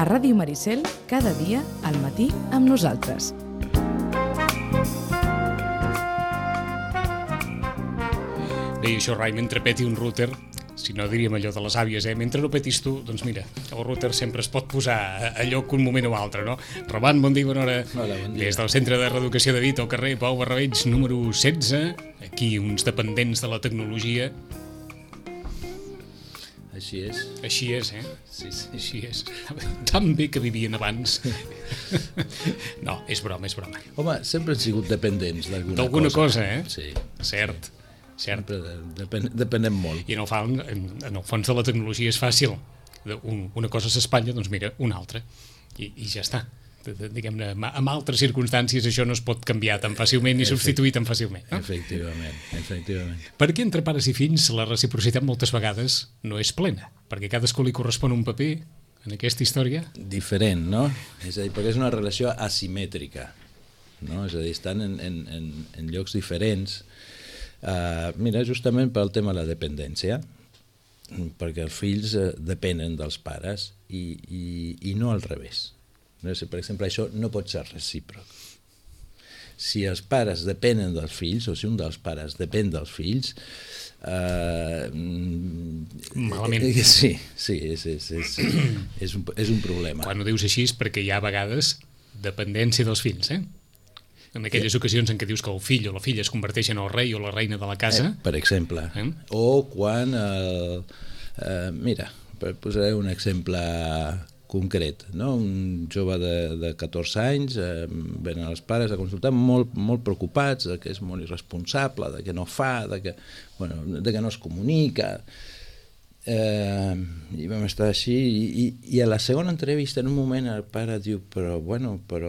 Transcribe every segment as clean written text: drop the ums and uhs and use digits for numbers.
A Ràdio Maricel, cada dia, al matí, amb nosaltres. Bé, això, Rai, mentre peti un router, si no diríem allò de les àvies, mentre no petis tu, doncs mira, el router sempre es pot posar a lloc un moment o altre, no? Roman, bon dia, bona hora. Hola, bon dia. Des del Centre de Reeducació de Vit, al carrer Pau Barrabeig, número 16, aquí uns dependents de la tecnologia. Així és. Així és, Sí. Així és. Tan bé que vivien abans. No, és broma. Home, sempre han sigut dependents D'alguna cosa, Sí. Cert. Sempre depenem molt. I en el fons de la tecnologia és fàcil. Una cosa s'espatlla, doncs mira, una altra. I ja està. Diguem-ne, en altres circumstàncies això no es pot canviar tan fàcilment ni substituir tan fàcilment. No? Efectivament. Perquè entre pares i fills la reciprocitat moltes vegades no és plena, perquè a cadascú li correspon un paper en aquesta història. Diferent, no? És a dir, perquè és una relació asimètrica, no? És a dir, estan en llocs diferents. Mira, justament pel tema de la dependència, perquè els fills depenen dels pares i no al revés. Per exemple, això no pot ser recíproc. Si els pares depenen dels fills, o si un dels pares depèn dels fills, malament. Sí, és un problema. Quan ho dius així és perquè hi ha a vegades dependència dels fills, en aquelles ocasions en què dius que el fill o la filla es converteix en el rei o la reina de la casa. Per exemple. O quan, mira, posaré un exemple concret, no? Un jove de 14 anys venen els pares a consultar molt preocupats de que és molt irresponsable, de que no fa, de que no es comunica, i vam estar així i a la segona entrevista en un moment el pare diu però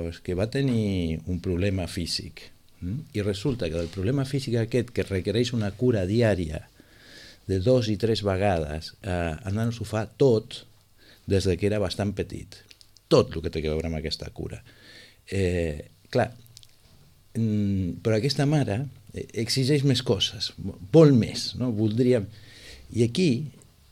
és que va tenir un problema físic i resulta que el problema físic aquest que requereix una cura diària de 2 i 3 vegades el nano s'ho fa tot des que era bastant petit. Tot el que té a veure amb aquesta cura. Clar, però aquesta mare exigeix més coses, vol més, no? Voldríem... I aquí,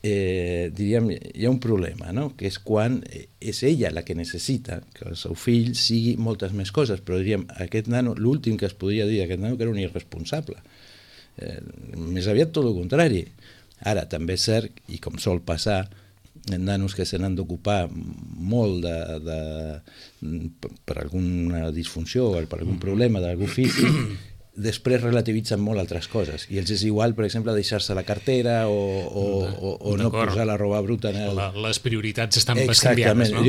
diríem, hi ha un problema, no? Que és quan és ella la que necessita que el seu fill sigui moltes més coses, però diríem, aquest nano, l'últim que es podria dir d'aquest nano que era un irresponsable. Més aviat tot el contrari. Ara, també és cert, i com sol passar, nanos que se n'han d'ocupar molt per alguna disfunció o per algun problema d'algú físic, després relativitzen molt altres coses i els és igual, per exemple, deixar-se la cartera o no posar la roba bruta en el... Les prioritats estan bescanviades, no?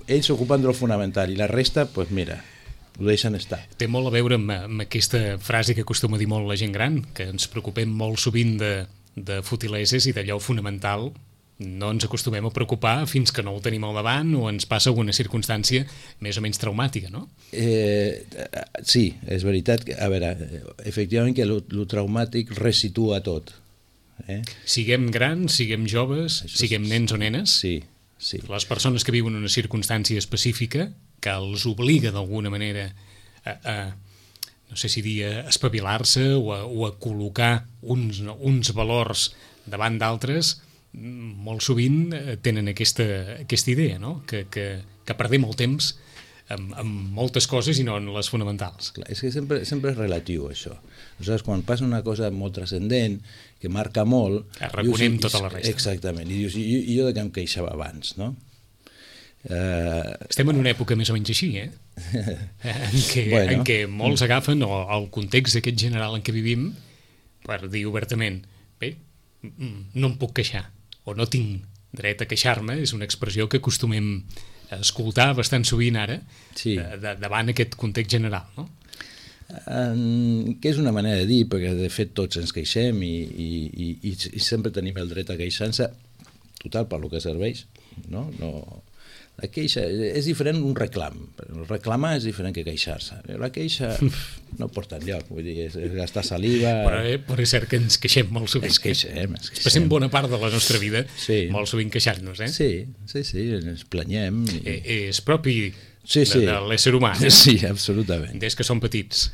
Ells s'ocupen de lo fonamental i la resta, doncs mira, ho deixen estar. Té molt a veure amb aquesta frase que acostuma a dir molt la gent gran, que ens preocupem molt sovint de futileses i d'allò fonamental no ens acostumem a preocupar fins que no ho tenim al davant o ens passa alguna circumstància més o menys traumàtica, no? Sí, és veritat. A veure, efectivament que lo traumàtic resitua tot. Siguem grans, siguem joves, siguem nens o nenes, sí. Les persones que viuen una circumstància específica que els obliga d'alguna manera no sé si dir a espavilar-se o a col·locar uns valors davant d'altres, molt sovint tenen aquesta idea, no? Que perdem el temps amb moltes coses i no en les fonamentals. Clar, és que sempre és relatiu, això. Aleshores, quan passa una cosa molt transcendent, que marca molt... Arraconem tota la resta. Exactament. I dius, i jo de què em queixava abans, no? Estem en una època més o menys així, en què molts agafen el context aquest general en què vivim per dir obertament, bé, no em puc queixar, o no tinc dret a queixar-me, és una expressió que acostumem a escoltar bastant sovint ara, davant aquest context general, no? Que és una manera de dir, perquè de fet tots ens queixem i sempre tenim el dret a queixar-se, total, per lo que serveix, no? La queixa és diferent d'un reclam. Reclamar és diferent que queixar-se. La queixa no porta enlloc, vull dir, és gastar saliva... Però és cert que ens queixem molt sovint. Ens queixem. Passem bona part de la nostra vida molt sovint queixar-nos, Sí, ens planyem. És propi de l'ésser humà. Sí, absolutament. Des que som petits.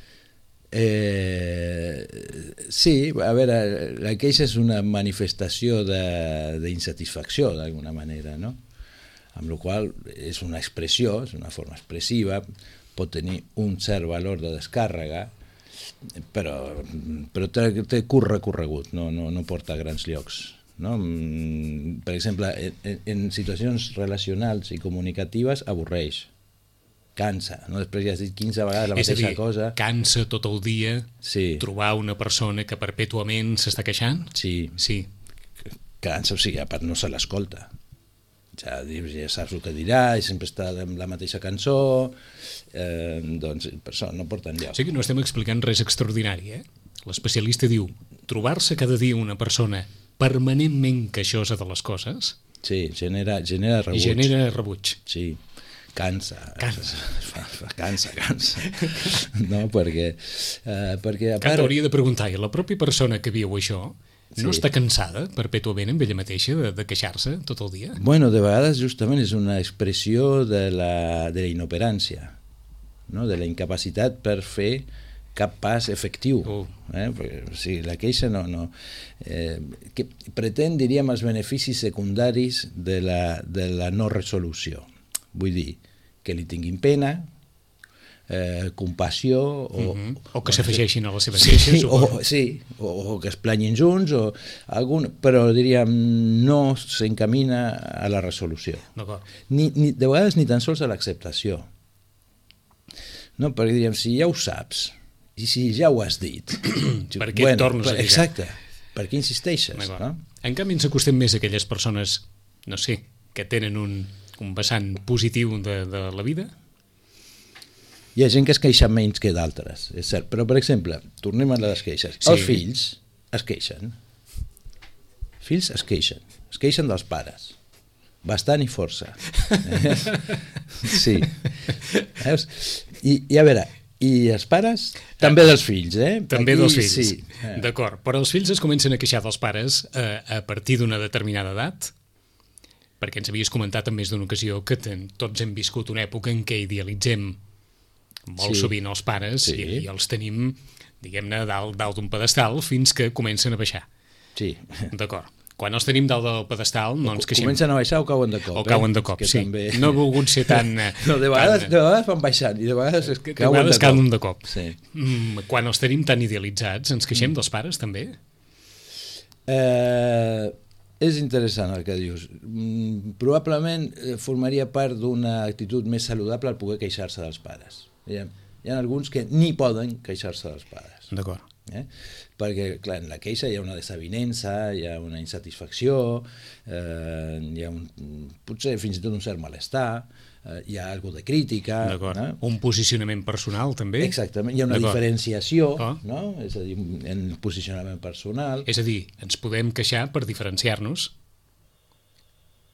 Sí, a veure, la queixa és una manifestació d'insatisfacció, d'alguna manera, no? amb la qual és una expressió, és una forma expressiva, pot tenir un cert valor de descàrrega, però té curt recorregut, no porta a grans llocs. No? Per exemple, en situacions relacionals i comunicatives avorreix, cansa, no? Després ja has dit 15 vegades la mateixa cosa. Cansa tot el dia trobar una persona que perpètuament s'està queixant? Sí. Cansa, o sigui, a part no se l'escolta. Ja saps el que dirà i sempre està amb la mateixa cançó, doncs per això no porta enlloc. O sigui, no estem explicant res extraordinari, eh? L'especialista diu, trobar-se cada dia una persona permanentment queixosa de les coses... Sí, genera rebuig. I genera rebuig. Sí. Cansa. No, perquè a part... Hauria de preguntar, i la pròpia persona que viu això no està cansada perpètuament amb ella mateixa de queixar-se tot el dia? Bueno, de vegades justament és una expressió de la inoperància, no? De la incapacitat per fer cap pas efectiu. Perquè, o sigui, la queixa que pretén, diríem, els beneficis secundaris de la no resolució. Vull dir, que li tinguin pena, compassió... O que s'afegeixin a les seves queixes. O que es planyin junts, però diríem, no s'encamina a la resolució. De vegades ni tan sols a l'acceptació. No, perquè diríem, si ja ho saps, i si ja ho has dit... Per què et tornes a dir? Exacte, per què insisteixes? No? En canvi, ens acostem més a aquelles persones, no sé, que tenen un vessant positiu de la vida? Hi ha gent que es queixa menys que d'altres, és cert, però per exemple, tornem a les queixes. Els fills es queixen. Es queixen dels pares. Bastant i força. Sí. I a veure, i els pares? També dels fills, eh? També dels fills, sí. D'acord. Però els fills es comencen a queixar dels pares a partir d'una determinada edat? Perquè ens havies comentat en més d'una ocasió que tots hem viscut una època en què idealitzem molt sovint els pares i els tenim, diguem-ne, dalt d'un pedestal fins que comencen a baixar. Sí. D'acord. Quan els tenim dalt del pedestal no ens queixem. Comencen a baixar o cauen de cop. O cauen de cop, sí. També... No he volgut ser tan... No, de vegades van baixant i de vegades cauen de cop. Sí. Quan els tenim tan idealitzats, ens queixem dels pares també? És interessant el que dius. Probablement formaria part d'una actitud més saludable al poder queixar-se dels pares. Hi ha alguns que ni poden queixar-se dels pares. D'acord. Perquè, clar, en la queixa hi ha una desavinença, hi ha una insatisfacció, hi ha potser fins i tot un cert malestar, hi ha alguna de crítica... Un posicionament personal, també? Exactament, hi ha una diferenciació, no? És a dir, en el posicionament personal... És a dir, ens podem queixar per diferenciar-nos?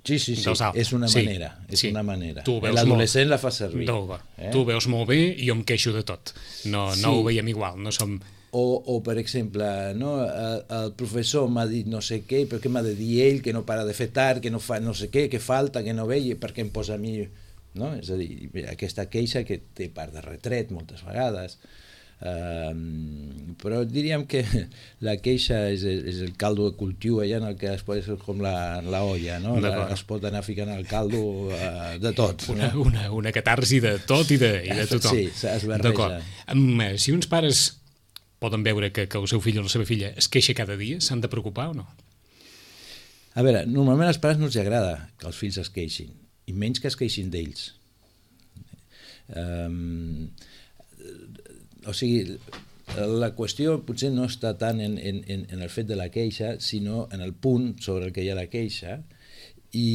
Sí, és una manera. L'adolescent la fa servir. Tu ho veus molt bé i jo em queixo de tot. No ho veiem igual, no som... O per exemple, el professor m'ha dit no sé què, però què m'ha de dir ell, que no para de fer tard, que no fa no sé què, que falta, que no ve, i per què em posa a mi... No? És a dir, aquesta queixa que té part de retret moltes vegades, però diríem que la queixa és el caldo de cultiu allà en el que es pot ser com la olla, no? Es pot anar ficant al caldo de tot. Una catarsi de tot i de tothom. Sí, es barreja. Si uns pares poden veure que el seu fill o la seva filla es queixa cada dia, s'han de preocupar o no? A veure, normalment als pares no els agrada que els fills es queixin, i menys que es queixin d'ells. O sigui, la qüestió potser no està tant en el fet de la queixa, sinó en el punt sobre el que hi ha la queixa, i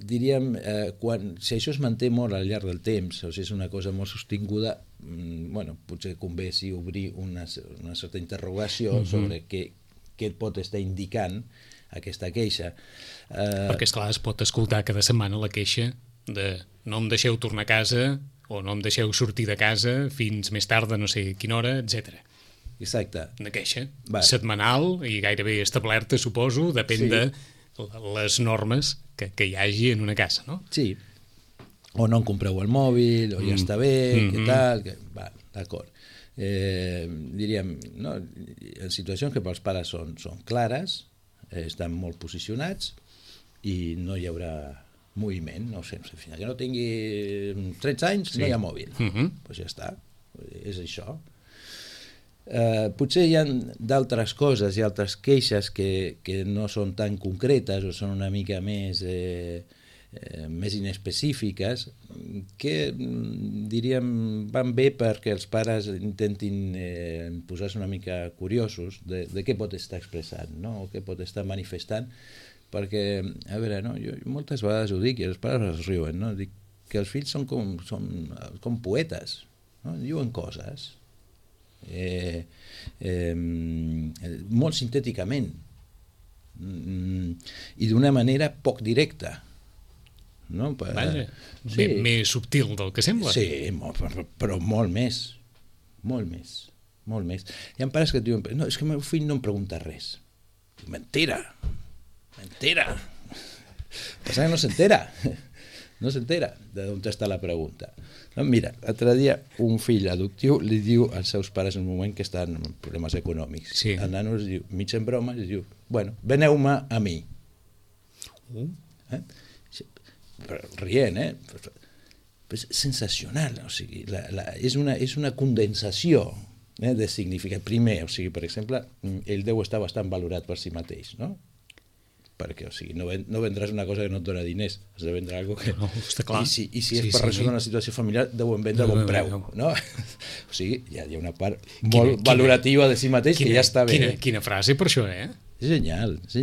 diríem, si això es manté molt al llarg del temps, o sigui, és una cosa molt sostinguda, potser convé obrir una certa interrogació sobre què et pot estar indicant aquesta queixa. Perquè, esclar, es pot escoltar cada setmana la queixa de no em deixeu tornar a casa o no em deixeu sortir de casa fins més tard de no sé quina hora, etc. Exacte. Una queixa setmanal i gairebé establerta, suposo, depèn de les normes que hi hagi en una casa, no? Sí. O no em compreu el mòbil, o ja està bé, què tal... D'acord. Diríem, en situacions que pels pares són clares, estan molt posicionats, i no hi haurà moviment, no sé, fins que no tingui 13 anys no hi ha mòbil. Pues ja està, és això. Potser hi ha d'altres coses i altres queixes que no són tan concretes o són una mica més inespecífiques, que diríem van bé perquè els pares intentin posar-se una mica curiosos de què pot estar expressant, no? O què pot estar manifestant, perquè, a veure, no? Jo moltes vegades ho dic i els pares es riuen, no? Dic que els fills són com poetes, no? Diuen coses molt sintèticament i d'una manera poc directa, no? Vaja, sí. Més subtil del que sembla. Sí, però molt més. Hi ha pares que et diuen, no, és que el meu fill no em pregunta res. Mentira. Passa que no s'entera d'on està la pregunta. No, mira, l'altre dia un fill adoptiu li diu als seus pares en un moment que estan amb problemes econòmics. Sí. El nano es diu, mig en broma, es diu, bueno, veneu-me a mi. Però rient, és sensacional, o sigui, és una condensació de significat. Primer, o sigui, per exemple, ell deu estar bastant valorat per si mateix, no? Perquè, o sigui, no vendràs una cosa que no et dona diners, has de vendre alguna cosa que... No, està clar. I si és per resoldre una situació familiar, deuen vendre a bon preu, no? O sigui, hi ha una part molt valorativa de si mateix que ja està bé. Quina frase per això, És genial. Els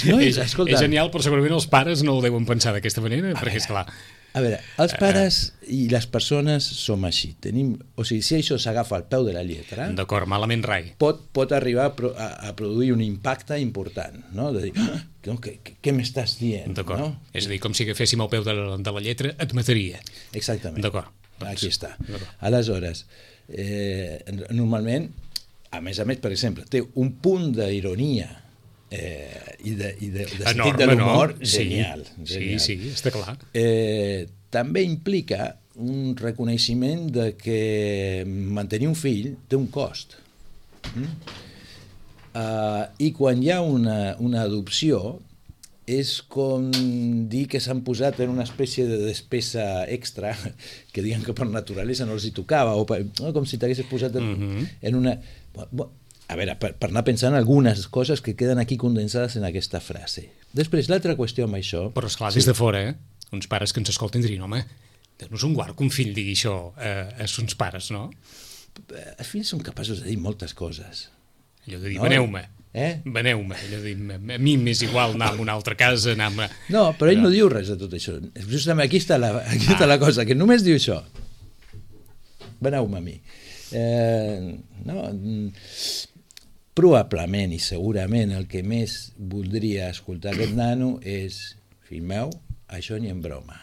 nois, escolta... És genial, però segurament els pares no ho deuen pensar d'aquesta manera, perquè, esclar... A veure, els pares i les persones som així. O sigui, si això s'agafa al peu de la lletra... D'acord, malament rai. Pot arribar a produir un impacte important, no? De dir, què m'estàs dient? D'acord. No? És a dir, com si agaféssim al peu de la lletra, et mataria. Exactament. D'acord. Aquí està. Aleshores, normalment, a més, per exemple, té un punt d'ironia i de sentit de l'humor genial. Sí, està clar. També implica un reconeixement de que mantenir un fill té un cost. I quan hi ha una adopció és com dir que s'han posat en una espècie de despesa extra que diuen que per naturalesa no els hi tocava, o com si t'haguessis posat en una... A veure, per anar pensant algunes coses que queden aquí condensades en aquesta frase. Després, l'altra qüestió amb això... Però, esclar, des de fora, uns pares que ens escolten dirien, home, Déu-nos un guard que un fill digui això a sons pares, no? Els fills són capaços de dir moltes coses. Allò de dir, veneu-me. Veneu-me. Allò de dir, a mi m'és igual anar a una altra casa, anar a... No, però ell no diu res de tot això. Justament aquí està la cosa, que només diu això. Veneu-me a mi. Probablement i segurament el que més voldria escoltar aquest nano és, fill meu, això ni en broma.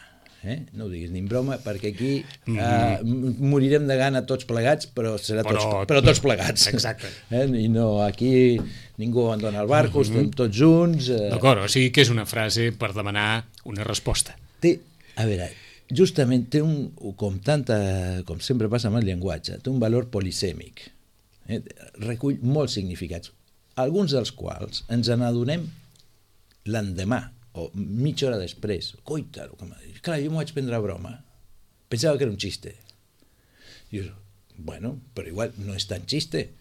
No ho diguis ni en broma, perquè aquí morirem de gana tots plegats, però tots plegats. Exacte. I no, aquí ningú abandona el barco, estem tots junts. D'acord, o sigui que és una frase per demanar una resposta. A veure, justament té com sempre passa amb el llenguatge, té un valor polisèmic. Recull molts significats, alguns dels quals ens n'adonem l'endemà o mitja hora després. Coita, clar, jo m'ho vaig prendre a broma, pensava que era un xiste. Dius, bueno, però igual no és tan xiste.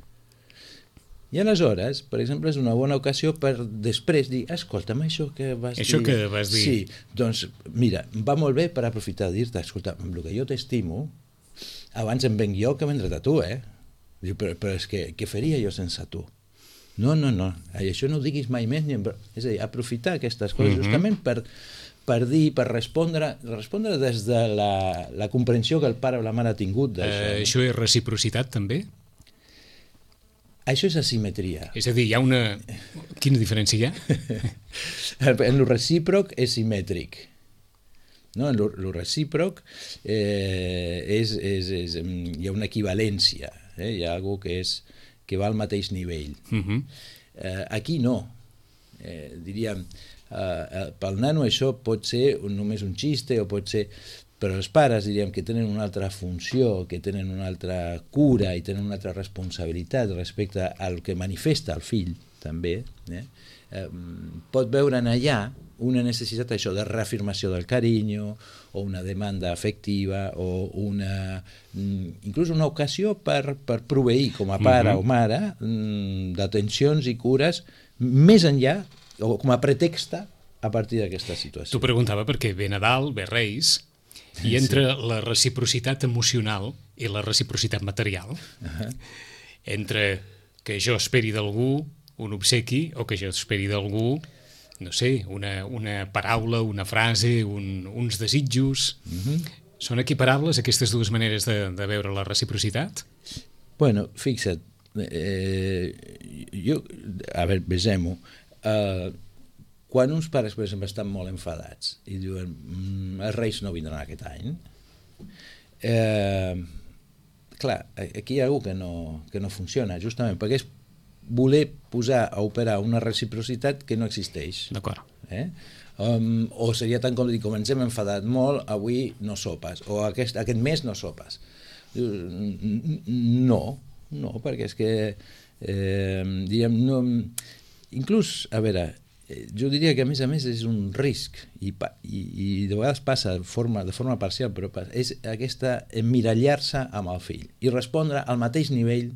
I aleshores, per exemple, és una bona ocasió per després dir, escolta'm, això que vas dir... Això que vas dir... Sí, doncs, mira, va molt bé per aprofitar de dir-te, escolta, amb el que jo t'estimo, abans em venc jo que vendre't a tu, Diu, però és que què faria jo sense tu? No, això no ho diguis mai més. És a dir, aprofitar aquestes coses justament per dir, per respondre des de la comprensió que el pare o la mare ha tingut d'això. Això és reciprocitat, també? Això és asimetria. És a dir, hi ha una... Quina diferència hi ha? En lo recíproc és simètric. No? En lo recíproc hi ha una equivalència. Hi ha alguna cosa que va al mateix nivell. Aquí no. Diríem, pel nano això pot ser només un xiste o pot ser... Però els pares, diríem, que tenen una altra funció, que tenen una altra cura i tenen una altra responsabilitat respecte al que manifesta el fill, també, pot veure en allà una necessitat això de reafirmació del carinyo o una demanda afectiva o inclús una ocasió per proveir com a pare o mare d'atencions i cures més enllà o com a pretext a partir d'aquesta situació. T'ho preguntava perquè ve Nadal, ve Reis, i entre la reciprocitat emocional i la reciprocitat material, entre que jo esperi d'algú un obsequi o que jo esperi d'algú, no sé, una paraula, una frase, uns desitjos. Són equiparables aquestes dues maneres de veure la reciprocitat? Bueno, fixa't, a veure, vesem-ho, quan uns pares, per exemple, estan molt enfadats i diuen els Reis no vindran aquest any, clar, aquí hi ha algú que no funciona, justament perquè és voler posar a operar una reciprocitat que no existeix. D'acord. O seria tan com dir, com ens hem enfadat molt, avui no sopes, o aquest mes no sopes. No, perquè és que, diríem, no, inclús, a veure, jo diria que a més és un risc i de vegades passa de forma parcial, però és aquesta emmirallar-se amb el fill i respondre al mateix nivell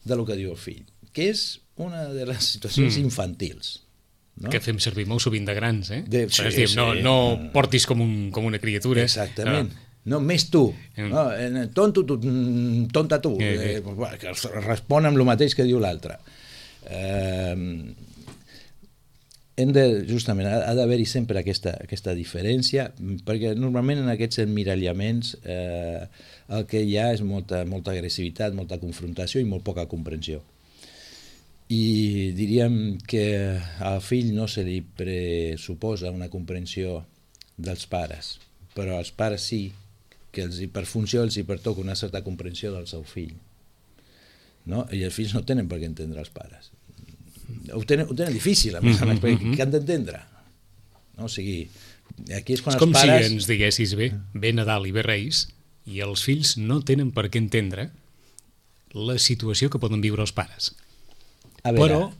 de lo que diu el fill, que és una de les situacions infantils. No? Que fem servir molt sovint de grans, Sí, no portis com una criatura. Exactament. No, més tu. No, tonta tu. Que respon amb el mateix que diu l'altre. Justament, ha d'haver-hi sempre aquesta diferència, perquè normalment en aquests emmirallaments el que hi ha és molta agressivitat, molta confrontació i molt poca comprensió. I diríem que al fill no se li pressuposa una comprensió dels pares, però als pares sí, que per funció els hi pertoca una certa comprensió del seu fill. No? I els fills no tenen per què entendre els pares. Ho tenen difícil, a més a més, perquè què han d'entendre? No? O sigui, aquí és quan és com els pares... si ens diguessis, ve Nadal i ve Reis, i els fills no tenen per què entendre la situació que poden viure els pares. A veure, però,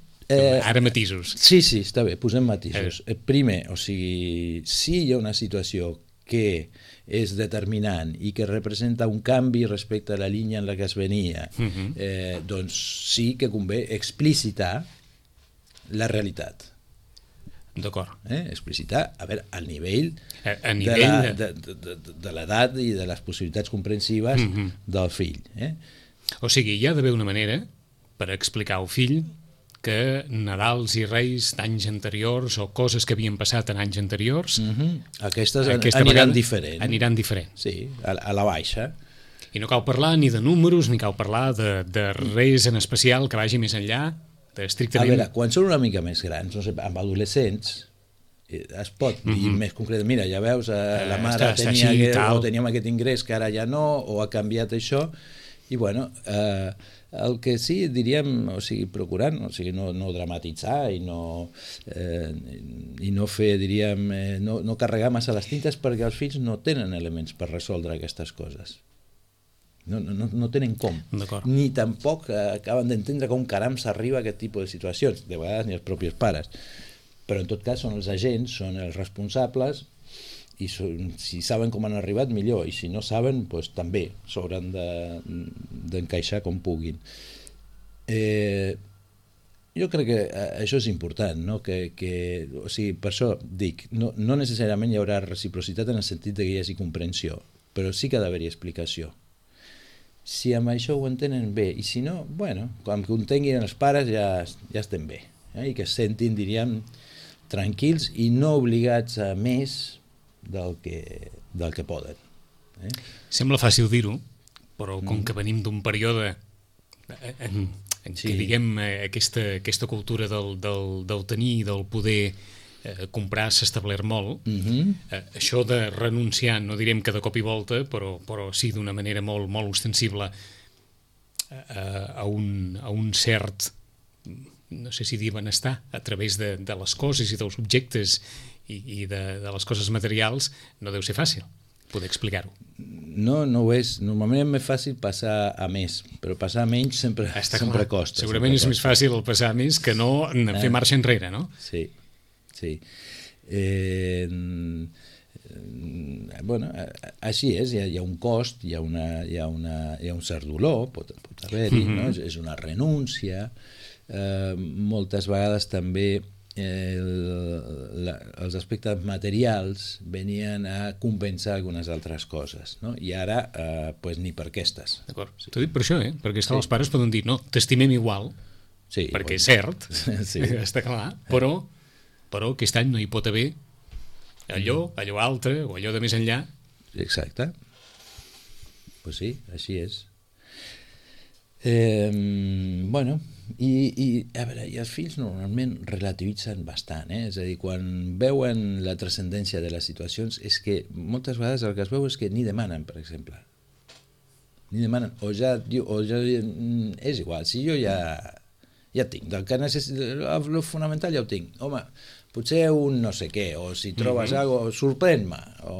ara matisos. Sí, està bé, posem matisos. Primer, o sigui, si hi ha una situació que és determinant i que representa un canvi respecte a la línia en la que es venia, doncs sí que convé explicitar la realitat. D'acord. Explicitar, a veure, al nivell de l'edat i de les possibilitats comprensives del fill. O sigui, hi ha d'haver una manera per explicar al fill que Nadals i Reis d'anys anteriors o coses que havien passat en anys anteriors aquestes aniran diferent. Aniran diferent. Sí, a la baixa. I no cal parlar ni de números, ni cal parlar de res en especial que vagi més enllà d'estrictament... A veure, quan són una mica més grans, no sé, amb adolescents, es pot dir més concret, mira, ja veus, la mare teníem aquest ingrés que ara ja no, o ha canviat això, i bueno... El que sí, diríem, o sigui, procurant, o sigui, no dramatitzar i no fer, diríem, no carregar massa les tintes, perquè els fills no tenen elements per resoldre aquestes coses. No tenen com. Ni tampoc acaben d'entendre com caram s'arriba a aquest tipus de situacions, de vegades ni els propis pares. Però en tot cas són els agents, són els responsables, i si saben com han arribat, millor, i si no saben, doncs també s'hauran d'encaixar com puguin. Jo crec que això és important, no? O sigui, per això dic, no necessàriament hi haurà reciprocitat en el sentit que hi hagi comprensió, però sí que ha d'haver-hi explicació. Si amb això ho entenen bé, i si no, bueno, quan ho entenguin els pares ja estem bé, i que es sentin, diríem, tranquils i no obligats a més del que poden. Sembla fàcil dir-ho, però com que venim d'un període en què, diguem, aquesta cultura del tenir i del poder comprar s'ha establert molt, això de renunciar, no direm que de cop i volta, però sí d'una manera molt, molt ostensible a un cert, no sé si dir benestar, a través de les coses i dels objectes i de les coses materials, no deu ser fàcil. poder explicar-ho. No ho és. Normalment és més fàcil passar a més, però passar a menys sempre costa. Segurament és més fàcil el passar a més que no fer marxa enrere, no? Sí. Bueno, així és, hi ha un cost, hi ha un cert dolor, pot haver-hi, no? És una renúncia. Moltes vegades també els aspectes materials venien a compensar algunes altres coses, no? I ara pues, ni per aquestes. D'acord. T'ho dic per això, perquè els pares poden dir no, t'estimem igual, perquè és cert, està clar, però aquest any no hi pot haver allò altre o allò de més enllà. Exacte. Pues sí, així és. Bueno, i a veure, i els fills normalment relativitzen bastant, és a dir, quan veuen la transcendència de les situacions és que moltes vegades el que es veu és que ni demanen, per exemple, o ja és igual, si jo ja tinc, del que el fonamental ja ho tinc, home, potser un no sé què, o si trobes alguna cosa, sorprèn-me, o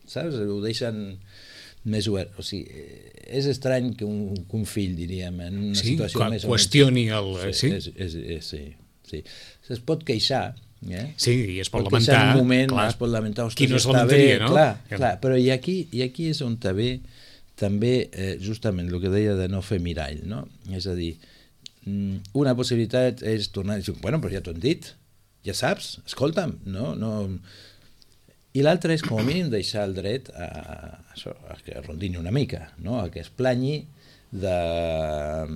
saps, ho deixen més obert. O sigui, és estrany que un fill, diríem, en una situació més... qüestioni el... Sí. Es pot queixar, Sí, i es pot lamentar. En un moment es pot lamentar, qui no es lamentaria, no? Clar, però i aquí és on també justament el que deia de no fer mirall, no? És a dir, una possibilitat és tornar a dir, bueno, però ja t'ho han dit, ja saps, escolta'm, no... I l'altre és, com a mínim, deixar el dret a que rondini una mica, no? A que es planyi del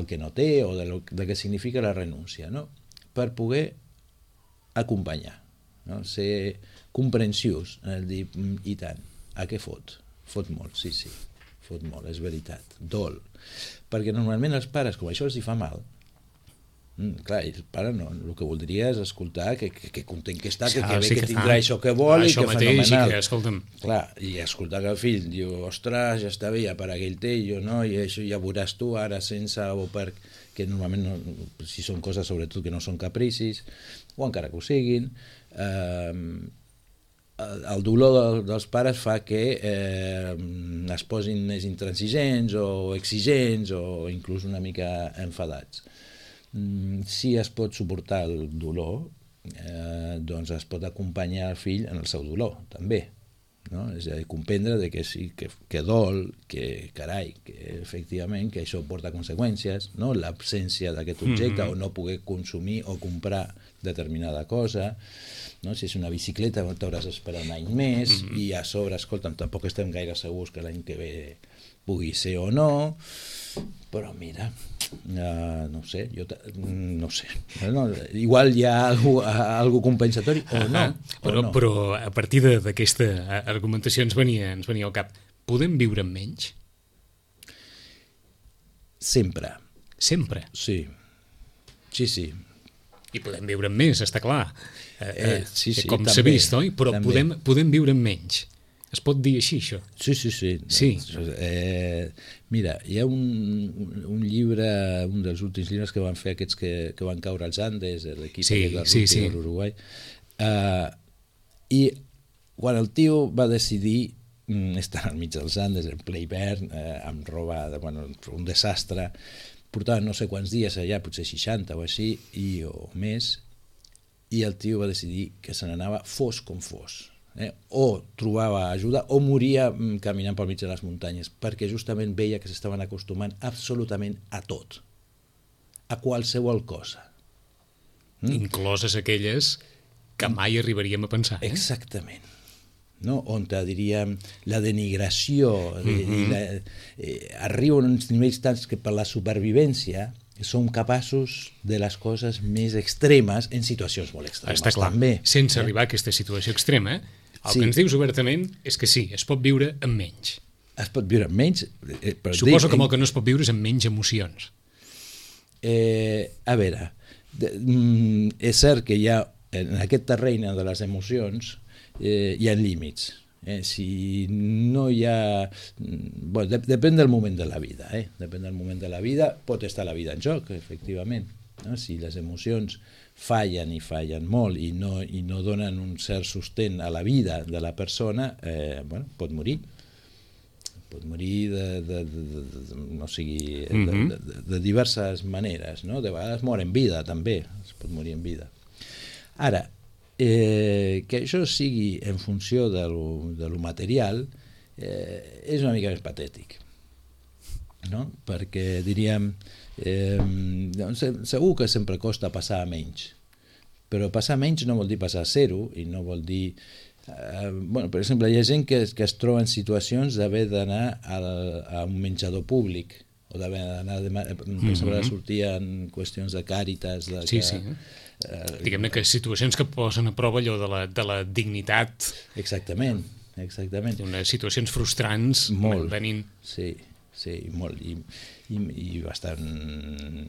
que no té o del que significa la renúncia, no? Per poder acompanyar, no? Ser comprensius en el dir, i tant, a què fot? Fot molt, sí, fot molt, és veritat, dol. Perquè normalment els pares, com això els hi fa mal, clar, el pare no, el que voldria és escoltar que content que està, que bé que tindrà això que vol i que fenomenal. Clar, i escoltar que el fill diu, ostres, ja està bé, ja per aquell té, jo no, i això ja veuràs tu ara sense o perquè normalment no, si són coses sobretot que no són capricis o encara que ho siguin, el dolor dels pares fa que es posin més intransigents o exigents o inclús una mica enfadats. Si es pot suportar el dolor, doncs es pot acompanyar el fill en el seu dolor, també. No? És a dir, comprendre que sí, que dol, que carai, que efectivament que això porta conseqüències, no? L'absència d'aquest objecte o no poder consumir o comprar determinada cosa, no? Si és una bicicleta t'hauràs d'esperar un any més i a sobre, escolta'm, tampoc estem gaire segurs que l'any que ve pugui ser o no, però mira, no sé, igual hi ha algú compensatori o no. Però a partir d'aquesta argumentació ens venia al cap, podem viure amb menys? Sempre. Sempre? Sí. I podem viure amb més, està clar. Sí, com s'ha vist, oi? Però podem viure amb menys. Es pot dir així, això? Sí. Mira, hi ha un llibre, un dels últims llibres que van fer aquests que van caure als Andes, l'equip de rugby de l'Uruguai, i quan el tio va decidir estar al mig dels Andes, en ple hivern, amb roba, un desastre, portava no sé quants dies allà, potser 60 o així, o més, i el tio va decidir que se n'anava fos com fos. O trobava ajuda o moria caminant pel mig de les muntanyes, perquè justament veia que s'estaven acostumant absolutament a tot, a qualsevol cosa, incloses aquelles que mai arribaríem a pensar. Exactament, no? On diríem la denigració arriba a uns nivells tants que per la supervivència som capaços de les coses més extremes en situacions molt extremes. Està clar, també, sense arribar a aquesta situació extrema, el que ens dius obertament és que sí, es pot viure amb menys. Es pot viure amb menys. Suposo que el que no es pot viure és amb menys emocions. A veure, és cert que hi ha, en aquest terreny de les emocions, hi ha límits. Si no hi ha... Bueno, depèn del moment de la vida. Depèn del moment de la vida. Pot estar la vida en joc, efectivament. no? Si les emocions fallen i fallen molt i no donen un cert sostén a la vida de la persona, bueno, pot morir de diverses maneres, no? De vegades mor en vida també, es pot morir en vida. Ara, que això sigui en funció de lo material és una mica més patètic, no? Perquè diríem segur que sempre costa passar a menys, però passar a menys no vol dir passar a zero i no vol dir bueno, per exemple, hi ha gent que es troba en situacions d'haver d'anar a un menjador públic o d'haver d'anar per exemple a sortir en qüestions de càritas diguem-ne que situacions que posen a prova allò de la dignitat, exactament unes situacions frustrants venint molt i bastant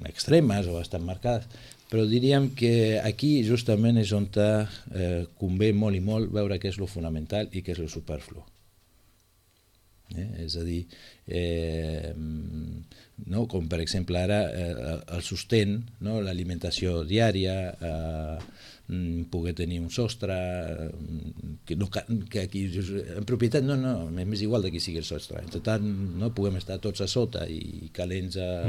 extremes o bastant marcades, però diríem que aquí justament és on convé molt i molt veure què és lo fonamental i què és lo superflu. És a dir, no? Com per exemple ara el sostén, no? L'alimentació diària, poder tenir un sostre, que aquí en propietat m'és igual de qui sigui el sostre, en total no puguem estar tots a sota i calents a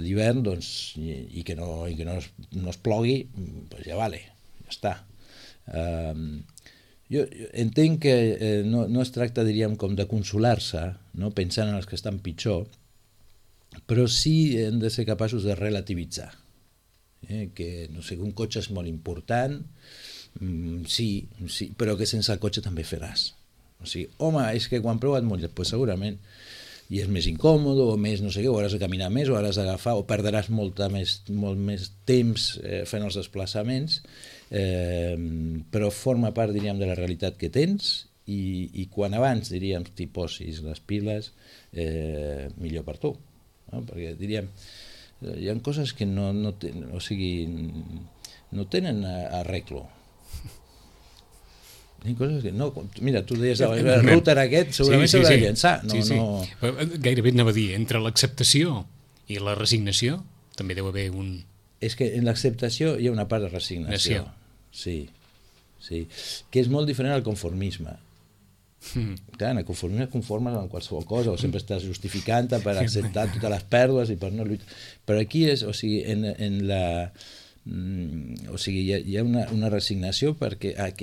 l'hivern, doncs, i que no es plogui, doncs ja vale, ja està. Jo entenc que no es tracta, diríem, com de consolar-se, no? Pensant en els que estan pitjor, però sí hem de ser capaços de relativitzar. Que, no sé, un cotxe és molt important, sí, però que sense el cotxe també faràs. O sigui, home, és que quan plou et mulles, doncs segurament, i és més incòmode, o més no sé què, o hauràs de caminar més, o hauràs d'agafar, o perdràs molt més temps fent els desplaçaments, però forma part, diríem, de la realitat que tens, i quan abans, diríem, t'hi posis les piles, millor per tu. No? Perquè, diríem, hi ha coses que no tenen arreglo. Hi ha coses que no... Mira, tu deies, el router aquest segurament s'haurà de llençar. Gairebé anava a dir, entre l'acceptació i la resignació també deu haver un... És que en l'acceptació hi ha una part de resignació. Sí, que és molt diferent al conformisme. Clar, en el conformisme et conformes amb qualsevol cosa, o sempre estàs justificant-te per acceptar totes les pèrdues i per no lluitar. Però aquí és, o sigui, hi ha una resignació perquè a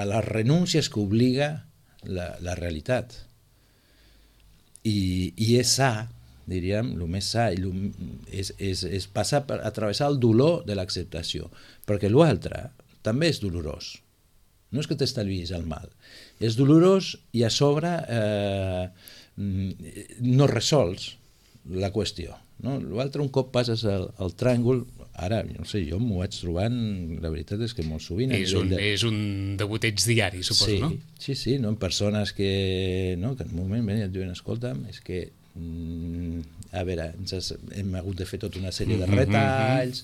les renúncies que obliga la realitat. I és sa, diríem, el més sa és passar a travessar el dolor de l'acceptació, perquè l'altre també és dolorós. No és que t'estalviïs el mal, és dolorós i a sobre no resols la qüestió. L'altre, un cop passes el tràngol, ara, no sé, jo m'ho vaig trobant, la veritat és que molt sovint... És un degoteig diari, suposo, no? Sí, en persones que en un moment et diuen, escolta'm, és que a veure, hem hagut de fer tota una sèrie de retalls...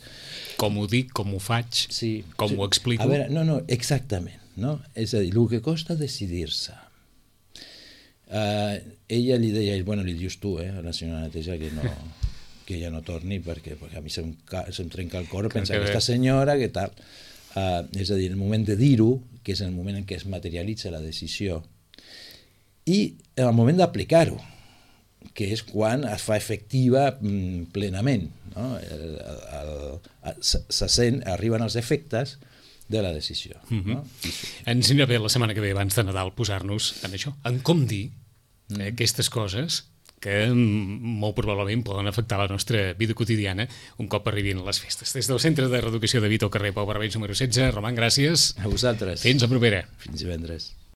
Com ho dic, com ho faig, com ho explico... A veure, exactament. No? És a dir, el que costa decidir-se. Ella li deia, bueno, li dius tu, a la senyora Neteja, que ja no torni perquè a mi se'm trenca el cor pensar aquesta senyora, que tal. És a dir, el moment de dir-ho, que és el moment en què es materialitza la decisió, i el moment d'aplicar-ho, que és quan es fa efectiva plenament. No? Arriben els efectes de la decisió. No? Ens anirà bé la setmana que ve, abans de Nadal, posar-nos en això, en com dir aquestes coses que molt probablement poden afectar la nostra vida quotidiana un cop arribin les festes. Des del Centre de Reeducació de Vita al carrer Pau Barbens número 16, Roman, gràcies. A vosaltres. Fins la propera. Fins divendres.